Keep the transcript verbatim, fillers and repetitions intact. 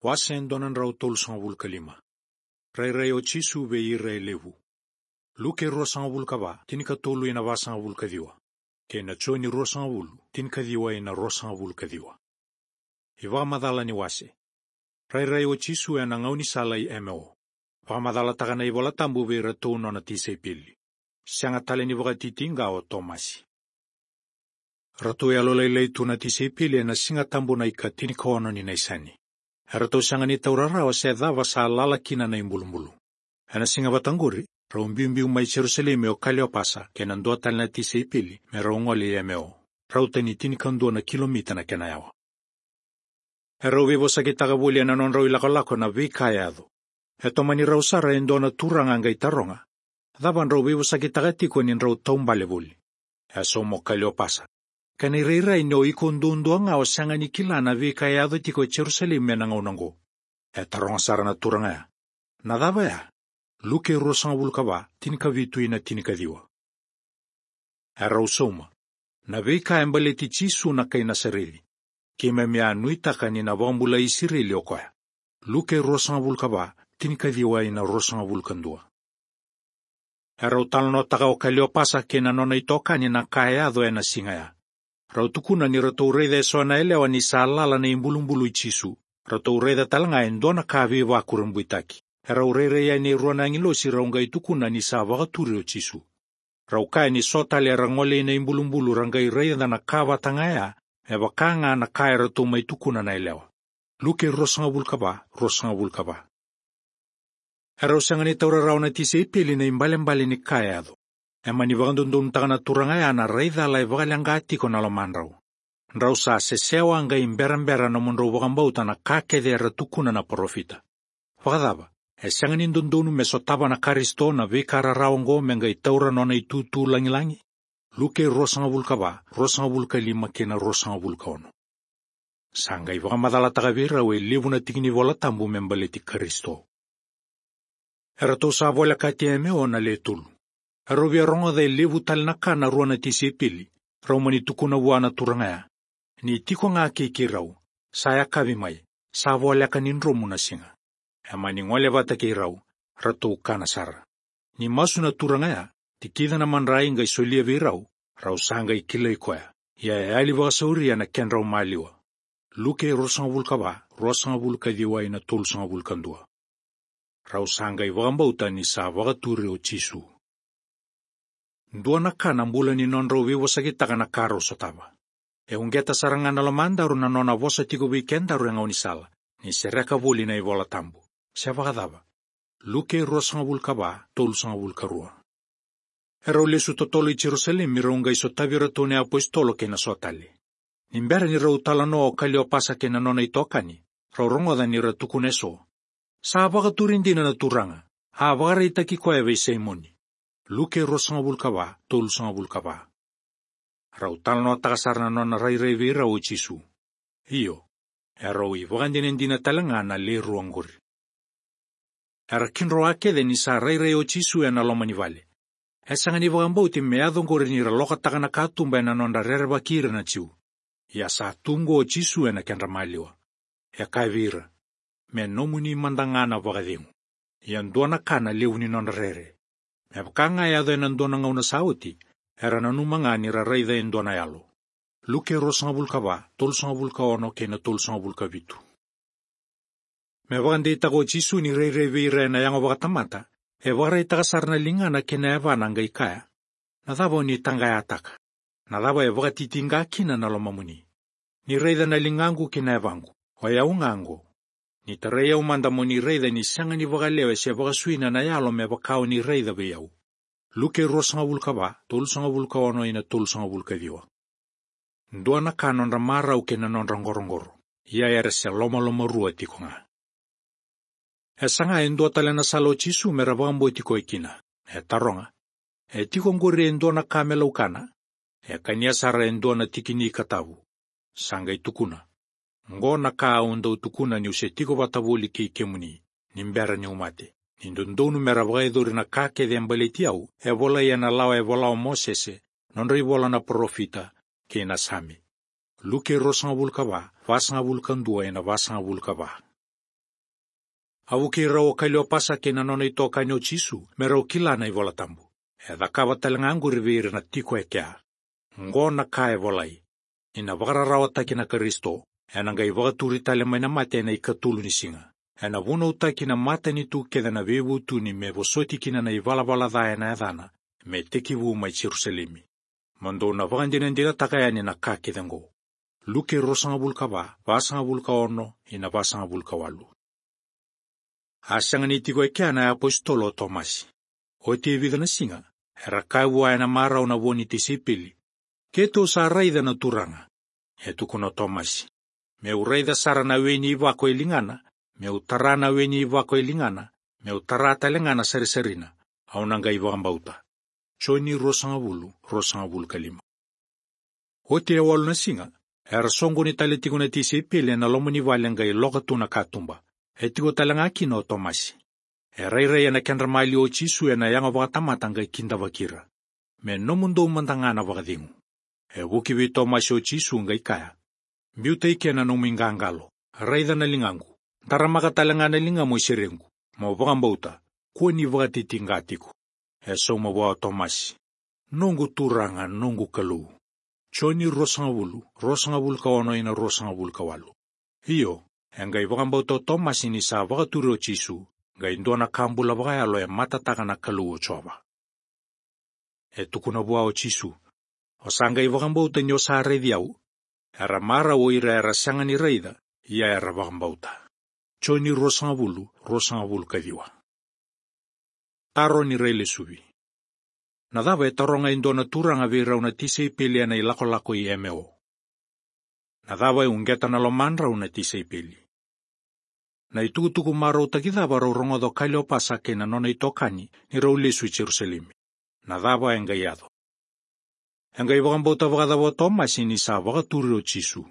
Wase e dua na drau tolusagavulu ka lima. Rairai o Jisu vei ira e levu. Luke ruasagavulu ka va, tinikatolu ina vasagavulu ka ciwa. Kei na Joni ruasagavulu, tinikaciwa ina ruasagavulu ka ciwa. iVakamacala ni wase. Rairai o Jisu ena gaunisala i Emeo. Vakamacalataka na iVola Tabu vei iratou nona tisaipeli. Sega tale ni vakatitiqa o Tomasi. Ratou yalolailai tu na tisaipeli ena Siga Tabu na ika tinikaono ni Naisani. Eratou sega ni taura rawa se cava sa lala kina na ibulubulu. Ena siga vata qori, rau biubiu mai Jerusalemi o Kaliopasa kei na dua tale na tisaipeli me rau gole i Emeo. Rauta ni tinikadua na kilomita na kena yawa. Erau veivosakitaka voli ena nodrau ilakolako na veika e yaco. E tomani rau sara e dua na turaga qai taroga, cava drau veivosakitaka tiko ni drau taubale voli? E sauma o Kaliopasa. Kena irairai ni o iko duadua ga o sega ni kila na veika e yaco tiko e Jerusalemi ena gauna oqo. E taroga sara na turaga ya. Na cava ya? Luke ruasagavulu ka va, tinikavitu ina tinikaciwa. Erau sauma. Na veika e baleti Jisu na kai Nasareci. Keimami a nuitaka ni na vakabulai Isireli o koya. Luke ruasagavulu ka va, tinikaciwa ina ruasagavulu ka dua. Erau talanoataka o Kaliopasa kei na nona itokani na ka e yaco ena siga ya. Rau tukuna ni ratou raica eso na yalewa ni sa lala na ibulubulu i Jisu. Ratou raica tale ga e dua na ka veivakurabuitaki. Erau rairai yani e rua na agilosi rau qai tukuna ni sa vakaturi o Jisu. Rau kaya ni so tale era gole ina ibulubulu ra qai raica na ka vata ga ya, me vaka ga na ka eratou mai tukuna na yalewa. Luke ruasagavulu ka va, ruasagavulu ka va. Erau sega ni taura rawa na tisaipeli na ibalebale ni ka e yaco. E mani vakadodonutaka na turaga ya na rai cala e vakaleqa tiko na lomadrau. Drau sa sesewa qai berabera nomudrau vakabauta na ka kece era tukuna na parofita. Vakacava, e sega ni dodonu me sotava na Karisito na veika rarawa oqo me qai taura nona itutu lagilagi? Luke ruasagavulu ka va, ruasagavulu ka lima kei na ruasagavulu ka ono. Sa qai vakamacalataka vei rau e levu na tiki ni Vola Tabu me baleti Karisito. Eratou sa volekati Emeo na le tolu. Erau via rogoca e levu tale na ka na rua na tisaipeli, rau mani tukuna vua na turaga ya. Ni tiko ga kei keirau, sa yakavi mai, sa voleka ni dromu na siga. E mani gole vata kei rau, ratou kana sara. Ni masu na turaga ya, tikica na madrai qai solia vei rau, rau sa qai kilai koya. Ia e yali vakasauri ena kedrau maliwa. Luke ruasagavulu ka va, ruasagavulu ka ciwa ina tolusagavulu ka dua. Rau sa qai vakabauta ni sa vakaturi o Jisu. Dua na ka na bula ni nodrau veivosakitaka na ka rau sotava. E uqeta sara ga na lomadaru na nona vosa tiko vei kedaru e gaunisala, ni sereka voli na iVola Tabu. Se vakacava? Luke ruasagavulu ka va, tolusagavulu ka rua. Erau lesu totolo i Jerusalemi rau qai sotavi iratou na iapositolo kei na so tale. Ni bera ni rau talanoa o Kaliopasa kei na nona itokani, rau rogoca ni ra tukuna eso. Sa vakaturi dina na Turaga, a vakaraitaki koya vei Saimoni. Luke ruasagavulu ka va, tolusagavulu ka va. Rau talanoataka sara na nona rairai vei rau o Jisu. Io, erau ivakadinadina tale ga na le rua oqori. Era kidroa kece ni sa rairai o Jisu ena loma ni vale. E sega ni vakabauti me yaco oqori ni ra lokataka na katuba ena nodra rerevaki ira na Jiu. Ia sa tu oqo o Jisu ena kedra maliwa. E kaya vei ira, me nomuni mada ga na vakacegu. Ia dua na ka na levu ni nodra rere. Me vaka ga e yaco ena dua na gauna sa oti, era nanuma ga ni ra raica e dua na yalo. Luke ruasagavulu ka va, tolusagavulu ka ono kei na tolusagavulu ka vitu. Me vakadeitaka o Jisu ni rairai vei ira ena yago vakatamata, e vakaraitaka sara na ligana kei na yavana qai kaya. Na cava o ni taqayataka? Na cava e vakatitiqa kina na lomamuni? Ni raica na ligaqu kei na yavaqu, o yau ga oqo. Ni tarai au mada mo ni raica ni sega ni vakalewe se vakasuina na yalo me vaka o ni raica vei au. Luke ruasagavulu ka va, tolusagavulu ka ono ina tolusagavulu ka ciwa. Dua na ka nodra marau kei na nodra qoroqoro, ia era se lomalomarua tiko ga. E saga e dua tale na sala o Jisu me ra vakabauti koya kina. E taroga. E tiko oqori e dua na ka me laukana? E kania sara e dua na tiki ni ka tavu. Sa qai tukuna. Oqo na ka au dau tukuna niu se tiko vata voli kei kemuni, ni bera niu mate. Ni dodonu me ra vakayacori na ka kece e baleti au, e volai ena lawa e vola o Mosese, nodra ivola na parofita, kei na Same. Luke ruasagavulu ka va, vasagavulu ka dua ina vasagavulu ka va. A vukei rau o Kaliopasa kei na nona itokani o Jisu me rau kila na iVola Tabu. E cakava tale ga oqori vei ira na tiko e kea. Oqo na ka e volai: Ni na vakararawataki na Karisito, ena qai vakaturi tale mai na mate ena ikatolu ni siga. Ena vunautaki na matanitu kece na veivutuni me vosoti kina na ivalavala ca ena yacana, me tekivu mai Jerusalemi. Mo dou na vakadinadinataka yani na ka kece oqo. Luke ruasagavulu ka va, vasagavulu ka ono ina vasagavulu ka walu. A sega ni tiko e kea na iapositolo o Tomasi. Oti e vica na siga, era kaya vua ena marau na vo ni tisaipeli: "Keitou sa raica na Turaga." E tukuna o Tomasi: "Meu raica sara na we ni ivako e ligana, meu tara na we ni ivako e ligana, meu tara tale ga na sarisarina, au na qai vakabauta." Joni ruasagavulu, ruasagavulu ka lima. Oti e walu na siga, era soqoni tale tiko na tisaipeli ena loma ni vale qai loka tu na katuba. E tiko tale ga kina o Tomasi. E rairai ena kedra maliwa o Jisu ena yago vakatamata qai kidavaki ira: "Me nomudou mada ga na vakacegu." E vuki vei Tomasi o Jisu qai kaya: "Biuta i ke na nomu iqaqalo, raica na ligaqu, taramaka tale ga na ligamu i serequ, mo vakabauta, kua ni vakatitiqa tiko." E sauma vua o Tomasi: "Noqu Turaga, noqu Kalou." Joni ruasagavulu, ruasagavulu ka ono ina ruasagavulu ka walu. Io, e qai vakabauta o Tomasi ni sa vakaturi o Jisu, qai dua na ka bula vakayalo e matataka na Kalou o Jiova. E tukuna vua o Jisu: "O sa qai vakabauta ni o sa raici au?" Era marau o ira era sega ni raica, ia era vakabauta. Joni ruasagavulu, ruasagavulu ka ciwa. Taro ni railesuvi. Na cava e taroga e dua na turaga vei rau na tisaipeli ena ilakolako i Emeo? Na cava e uqeta na lomadrau na tisaipeli? Na itukutuku marautaki cava rau rogoca o Kaliopasa kei na nona itokani ni rau lesu i Jerusalemi? Na cava e qai yaco? E qai vakabauta vakacava o Tomasi ni sa vakaturi o Jisu?